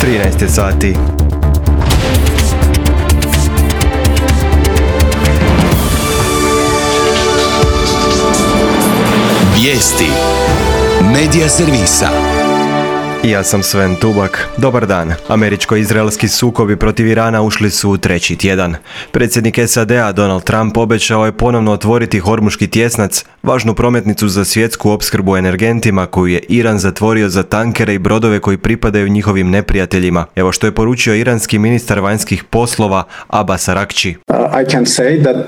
13 sati. Vijesti Medija servisa. Ja sam Sven Tubak. Dobar dan. Američko-izraelski sukobi protiv Irana ušli su u treći tjedan. Predsjednik SAD-a Donald Trump obećao je ponovno otvoriti Hormuški tjesnac, važnu prometnicu za svjetsku opskrbu energentima koju je Iran zatvorio za tankere i brodove koji pripadaju njihovim neprijateljima. Evo što je poručio iranski ministar vanjskih poslova Abbas Araghchi.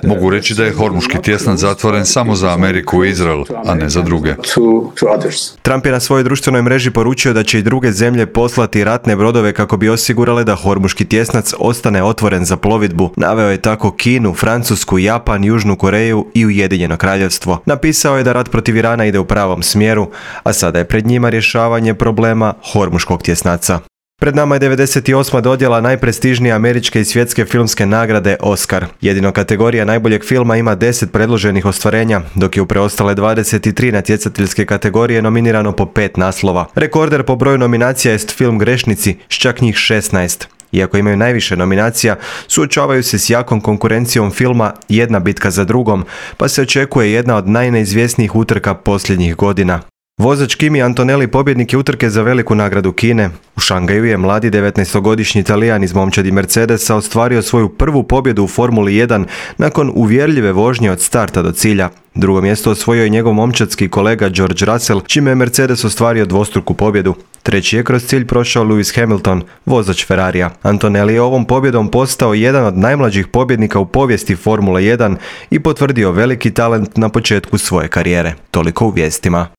Mogu reći da je Hormuški tjesnac zatvoren samo za Ameriku i Izrael, a ne za druge. Trump je na svojoj društvenoj mreži poručio da će i druge zemlje poslati ratne brodove kako bi osigurale da Hormuški tjesnac ostane otvoren za plovidbu. Naveo je tako Kinu, Francusku, Japan, Južnu Koreju i Ujedinjeno Kraljevstvo. Napisao je da rat protiv Irana ide u pravom smjeru, a sada je pred njima rješavanje problema Hormuškog tjesnaca. Pred nama je 98. dodjela najprestižnije američke i svjetske filmske nagrade Oscar. Jedino kategorija najboljeg filma ima 10 predloženih ostvarenja, dok je u preostale 23 natjecateljske kategorije nominirano po 5 naslova. Rekorder po broju nominacija jest film Grešnici s čak njih 16. Iako imaju najviše nominacija, suočavaju se s jakom konkurencijom filma Jedna bitka za drugom, pa se očekuje jedna od najneizvjesnijih utrka posljednjih godina. Vozač Kimi Antonelli pobjednik je utrke za veliku nagradu Kine. U Šangaju je mladi 19-godišnji Talijan iz momčadi Mercedesa ostvario svoju prvu pobjedu u Formuli 1 nakon uvjerljive vožnje od starta do cilja. Drugo mjesto osvojio je njegov momčadski kolega George Russell, čime je Mercedes ostvario dvostruku pobjedu. Treći je kroz cilj prošao Lewis Hamilton, vozač Ferrarija. Antonelli je ovom pobjedom postao jedan od najmlađih pobjednika u povijesti Formule 1 i potvrdio veliki talent na početku svoje karijere. Toliko u vijestima.